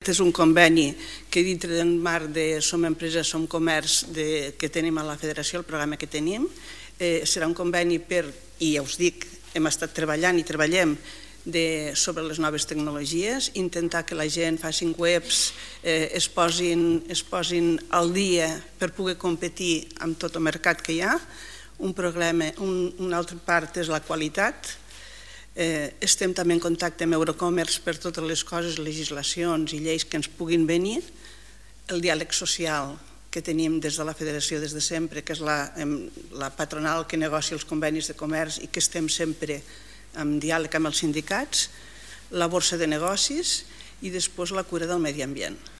És un conveni que dintre del marc de Som Empresa, Som Comerç que tenim a la federació, el programa que tenim. Serà un conveni i ja us dic, hem estat treballant i treballem sobre les noves tecnologies, intentar que la gent facin webs, es posin al dia per poder competir amb tot el mercat que hi ha. Una altra part és la qualitat. Estem també en contacte amb Eurocommerce per totes les coses, legislacions i lleis que ens puguin venir. El diàleg social que tenim des de la federació des de sempre, que és la patronal que negocia els convenis de comerç i que estem sempre en diàleg amb els sindicats, la borsa de negocis i després la cura del medi ambient.